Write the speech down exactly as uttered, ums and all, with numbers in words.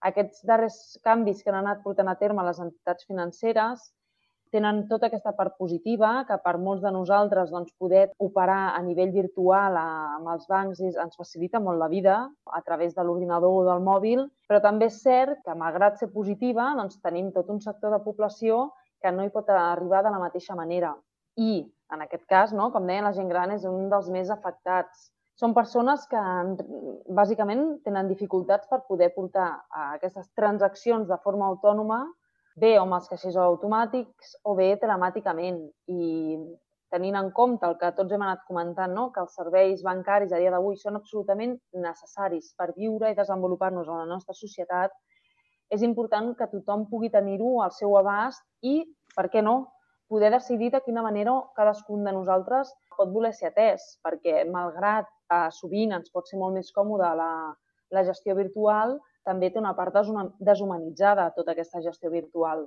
Aquests darrers canvis que han anat portant a terme les entitats financeres tenen tota aquesta part positiva, que per molts de nosaltres doncs, poder operar a nivell virtual amb els bancs ens facilita molt la vida a través de l'ordinador o del mòbil, però també és cert que, malgrat ser positiva, doncs, tenim tot un sector de població que no hi pot arribar de la mateixa manera. I, en aquest cas, no, com deia, la gent gran és un dels més afectats. Són persones que, bàsicament, tenen dificultats per poder portar aquestes transaccions de forma autònoma, bé amb els caixers automàtics o bé telemàticament. I tenint en compte el que tots hem anat comentant, no? Que els serveis bancaris a dia d'avui són absolutament necessaris per viure i desenvolupar-nos en la nostra societat, és important que tothom pugui tenir-ho al seu abast i, per què no, poder decidir de quina manera cadascun de nosaltres pot voler ser atès, perquè malgrat que sovint ens pot ser molt més còmode la, la gestió virtual, també té una part deshumanitzada tota aquesta gestió virtual.